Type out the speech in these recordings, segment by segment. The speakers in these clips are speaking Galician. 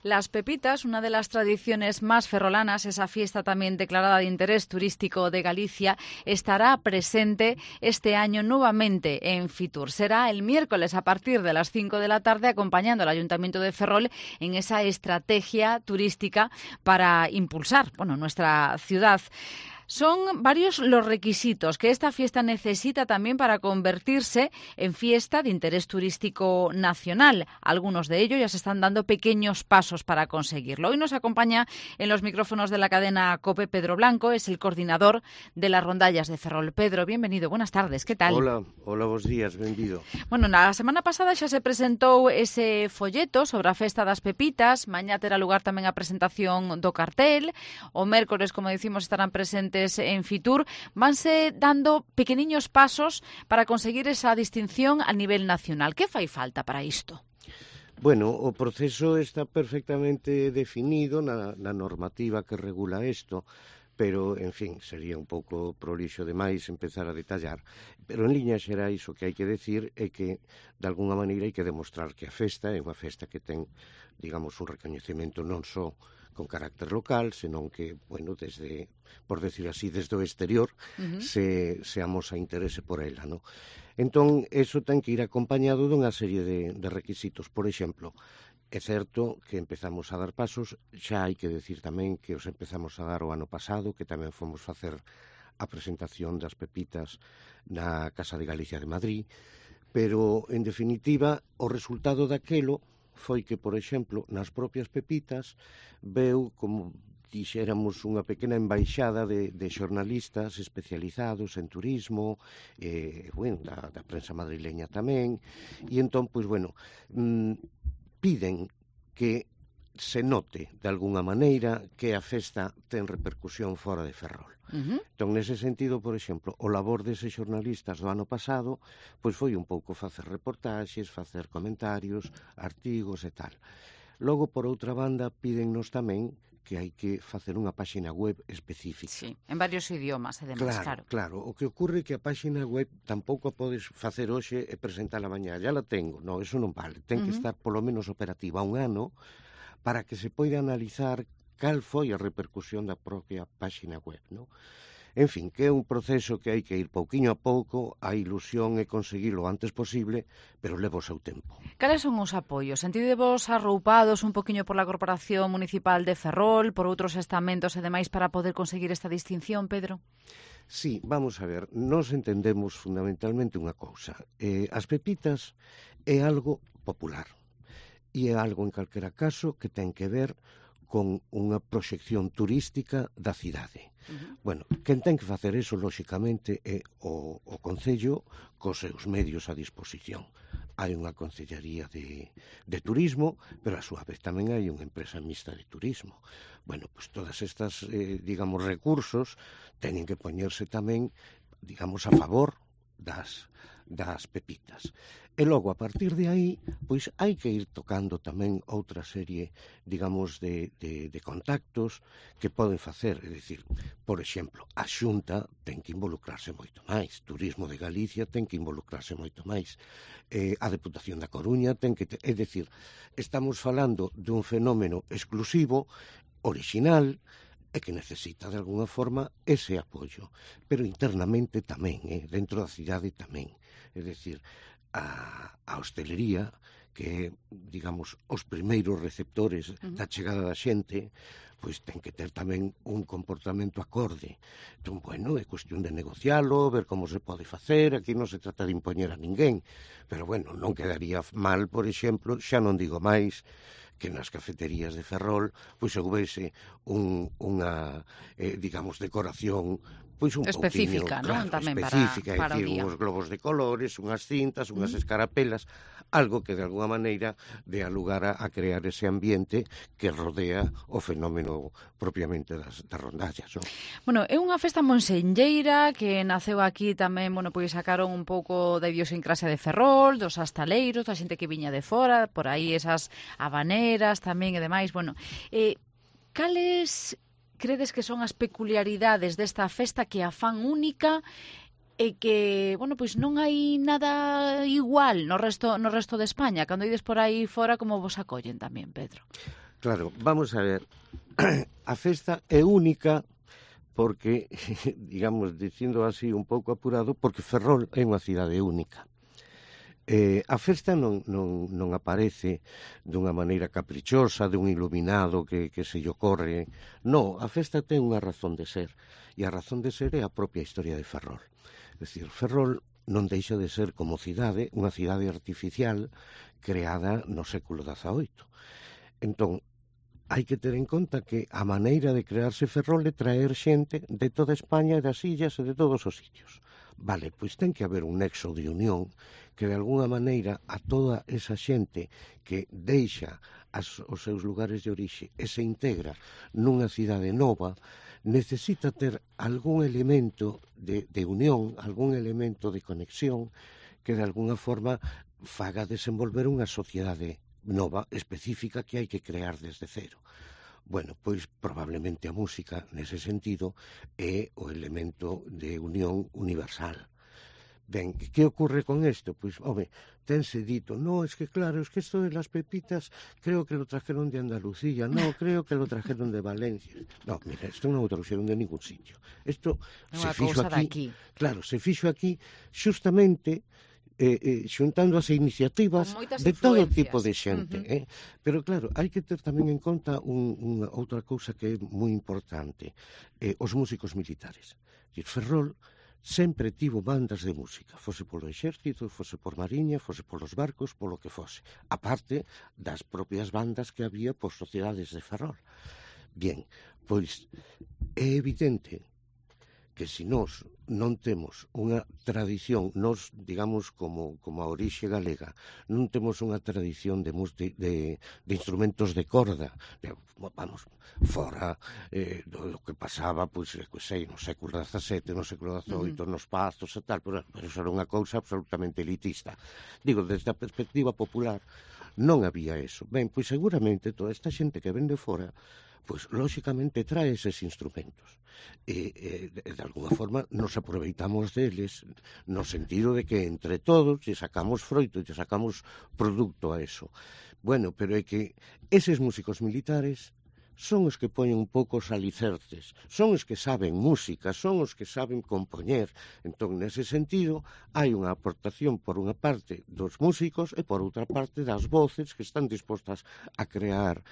Las Pepitas, una de las tradiciones más ferrolanas, esa fiesta también declarada de interés turístico de Galicia, estará presente este año nuevamente en Fitur. Será el miércoles a partir de las 5 de la tarde, acompañando al Ayuntamiento de Ferrol en esa estrategia turística para impulsar, nuestra ciudad. Son varios los requisitos que esta fiesta necesita también para convertirse en fiesta de interés turístico nacional. Algunos de ellos ya se están dando pequeños pasos para conseguirlo. Hoy nos acompaña en los micrófonos de la cadena COPE Pedro Blanco, es el coordinador de las rondallas de Ferrol. Pedro, bienvenido, buenas tardes, ¿qué tal? Hola, bons días, benvido. Na semana pasada xa se presentou ese folleto sobre a Festa das Pepitas, mañá terá lugar tamén a presentación do cartel, o mércores, como dicimos, estarán presentes en Fitur. Vanse dando pequeniños pasos para conseguir esa distinción a nivel nacional. Que fai falta para isto? Bueno, o proceso está perfectamente definido na normativa que regula isto, pero, en fin, sería un pouco prolixo demais empezar a detallar. Pero en liñas xerais o que hai que decir é que, de alguna maneira, hai que demostrar que a festa é unha festa que ten, digamos, un recoñecemento non só con carácter local, senón que, desde, por decir así, desde o exterior, se amosa interese por ela, non? Entón, eso ten que ir acompañado dunha serie de requisitos. Por exemplo, é certo que empezamos a dar pasos, xa hai que decir tamén que os empezamos a dar o ano pasado, que tamén fomos facer a presentación das Pepitas na Casa de Galicia de Madrid, pero, en definitiva, o resultado daquelo foi que, por exemplo, nas propias Pepitas veu como dixéramos unha pequena embaixada de xornalistas especializados en turismo, da prensa madrileña tamén, e entón, piden que se note, de algunha maneira, que a festa ten repercusión fora de Ferrol. Entón, nese sentido, por exemplo, o labor deses xornalistas do ano pasado foi un pouco facer reportaxes, facer comentarios, artigos e tal. Logo, por outra banda, pídennos tamén que hai que facer unha páxina web específica. Sí, en varios idiomas, además, claro. Claro, o que ocorre é que a páxina web tampouco a podes facer hoxe e presentala mañá. Ya la tengo, non, eso non vale. Ten que estar polo menos operativa un ano para que se poida analizar cal foi a repercusión da propia páxina web, non? En fin, que é un proceso que hai que ir pouquiño a pouco, a ilusión é conseguilo o antes posible, pero leva o seu tempo. Cales son os apoios? Sentidevos arroupados un poquinho por la Corporación Municipal de Ferrol, por outros estamentos e demais para poder conseguir esta distinción, Pedro? Sí, vamos a ver, nos entendemos fundamentalmente unha cousa. As Pepitas é algo popular e é algo, en calquera caso, que ten que ver con unha proxección turística da cidade. Quen ten que facer eso, lóxicamente, é o Concello cos seus medios a disposición. Hai unha Concellaría de Turismo, pero a súa vez tamén hai unha empresa mixta de turismo. Todas estas, recursos teñen que poñerse tamén, a favor das Pepitas. E logo, a partir de aí, hai que ir tocando tamén outra serie, de contactos que poden facer. É dicir, por exemplo, a Xunta ten que involucrarse moito máis, Turismo de Galicia ten que involucrarse moito máis, a Deputación da Coruña ten que... É dicir, estamos falando dun fenómeno exclusivo, orixinal, e que necesita, de alguna forma, ese apoio. Pero internamente tamén, dentro da cidade tamén. É dicir, a hostelería, que é, os primeiros receptores da chegada da xente, ten que ter tamén un comportamento acorde. Entón, é cuestión de negocialo, ver como se pode facer, aquí non se trata de impoñer a ninguén, pero, non quedaría mal, por exemplo, xa non digo máis, que nas cafeterías de Ferrol houvese unha, decoración un específica, pouquinho, tamén específica, para o día. Uns globos de colores, unhas cintas, unhas escarapelas, algo que de alguna maneira dea lugar a crear ese ambiente que rodea o fenómeno propiamente das rondallas, non? É unha festa monsenlleira que naceu aquí tamén, sacaron un pouco da idiosincrasia de Ferrol, dos astaleiros, da xente que viña de fora, por aí esas habaneras tamén e demais. Cales credes que son as peculiaridades desta festa que a fan única é que, bueno, pois non hai nada igual no resto de España. Cando ides por aí fora, como vos acollen tamén, Pedro? Claro, vamos a ver, a festa é única porque, digamos, dicindo así un pouco apurado, porque Ferrol é unha cidade única. A festa non aparece dunha maneira caprichosa, dun iluminado que se lle ocorre. Non, a festa ten unha razón de ser, e a razón de ser é a propia historia de Ferrol. É dicir, Ferrol non deixa de ser como cidade, unha cidade artificial creada no século XVIII. Entón, hai que ter en conta que a maneira de crearse Ferrol é traer xente de toda España e das illas e de todos os sitios. Vale, pois ten que haber un nexo de unión que de alguna maneira a toda esa xente que deixa os seus lugares de orixe e se integra nunha cidade nova necesita ter algún elemento de unión, algún elemento de conexión que de alguna forma faga desenvolver unha sociedade nova, específica, que hai que crear desde cero. Bueno, pois probablemente a música, nese sentido, é o elemento de unión universal. Ben, que ocorre con isto? Pois, home, tense dito, no, es que claro, es que esto de las pepitas creo que lo trajeron de Andalucía, no, creo que lo trajeron de Valencia. No, mira, isto non o traxeron de ningún sitio. Isto se fixo aquí. Claro, se fixo aquí xustamente xuntando as iniciativas de todo tipo de xente. Pero claro, hai que ter tamén en conta unha outra cousa que é moi importante, os músicos militares. Ferrol sempre tivo bandas de música, fose polo exército, fose por mariña, fose polos barcos, polo que fose, aparte das propias bandas que había por sociedades de Ferrol. Bien, pois é evidente que se nós non temos unha tradición, nós, digamos, como a orixe galega, non temos unha tradición de instrumentos de corda, vamos, fora do que pasaba, pois, no século XVII, no século XVIII, nos pazos e tal, pero eso era unha cousa absolutamente elitista. Digo, desde a perspectiva popular, non había eso. Ben, pois seguramente toda esta xente que ven de fora, pois lóxicamente trae eses instrumentos e de alguna forma nos aproveitamos deles no sentido de que entre todos lle sacamos froito, lle sacamos produto a eso. Bueno, pero é que eses músicos militares son os que poñen un pouco os alicerces, son os que saben música, son os que saben compoñer. Entón, nese sentido, hai unha aportación por unha parte dos músicos e por outra parte das voces que están dispostas a crear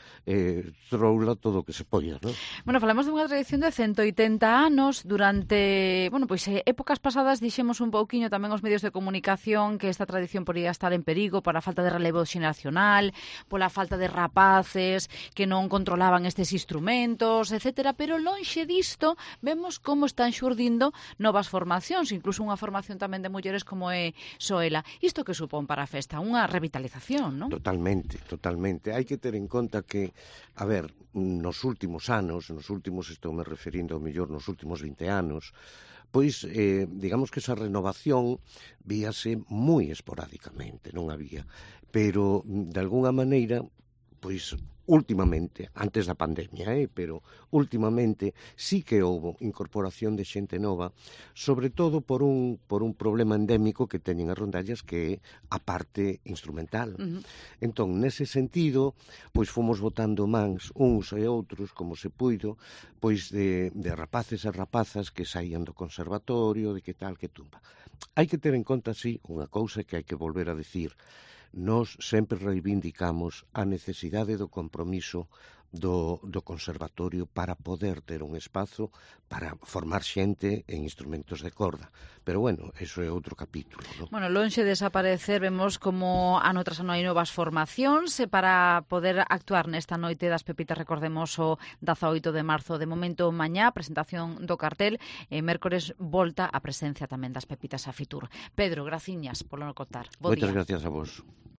troula todo o que se poida, non? Bueno, falamos dunha tradición de 180 anos durante, bueno, pois épocas pasadas dixemos un pouquiño tamén os medios de comunicación que esta tradición podía estar en perigo por a falta de relevo xeracional, pola falta de rapaces que non controlaban estes instrumentos, etcétera, pero lonxe disto vemos como están xurdindo novas formacións, incluso unha formación tamén de mulleres como é Soela. Isto que supón para a festa? Unha revitalización, non? Totalmente, totalmente. Hai que ter en conta que, a ver, nos últimos anos, estou me referindo ao mellor nos últimos 20 anos, pois, digamos que esa renovación víase moi esporádicamente, non había, pero, de alguna maneira, pois, últimamente, antes da pandemia, pero últimamente sí que houve incorporación de xente nova, sobre todo por un problema endémico que teñen as rondallas, que é a parte instrumental. Entón, nese sentido, pois fomos botando mans uns e outros, como se puido, pois de rapaces e rapazas que saían do conservatorio, de que tal, que tumba. Hai que ter en conta, sí, unha cousa que hai que volver a decir. Nós sempre reivindicamos a necesidade do compromiso do conservatorio para poder ter un espazo para formar xente en instrumentos de corda. Pero, bueno, eso é outro capítulo, non? Bueno, lonxe de desaparecer, vemos como ano tras ano hai novas formacións e para poder actuar nesta noite das pepitas, recordemos o 18 de marzo. De momento, mañá, presentación do cartel, e mércores volta a presencia tamén das pepitas a Fitur. Pedro, graciñas polo no contar. Moitas gracias a vos.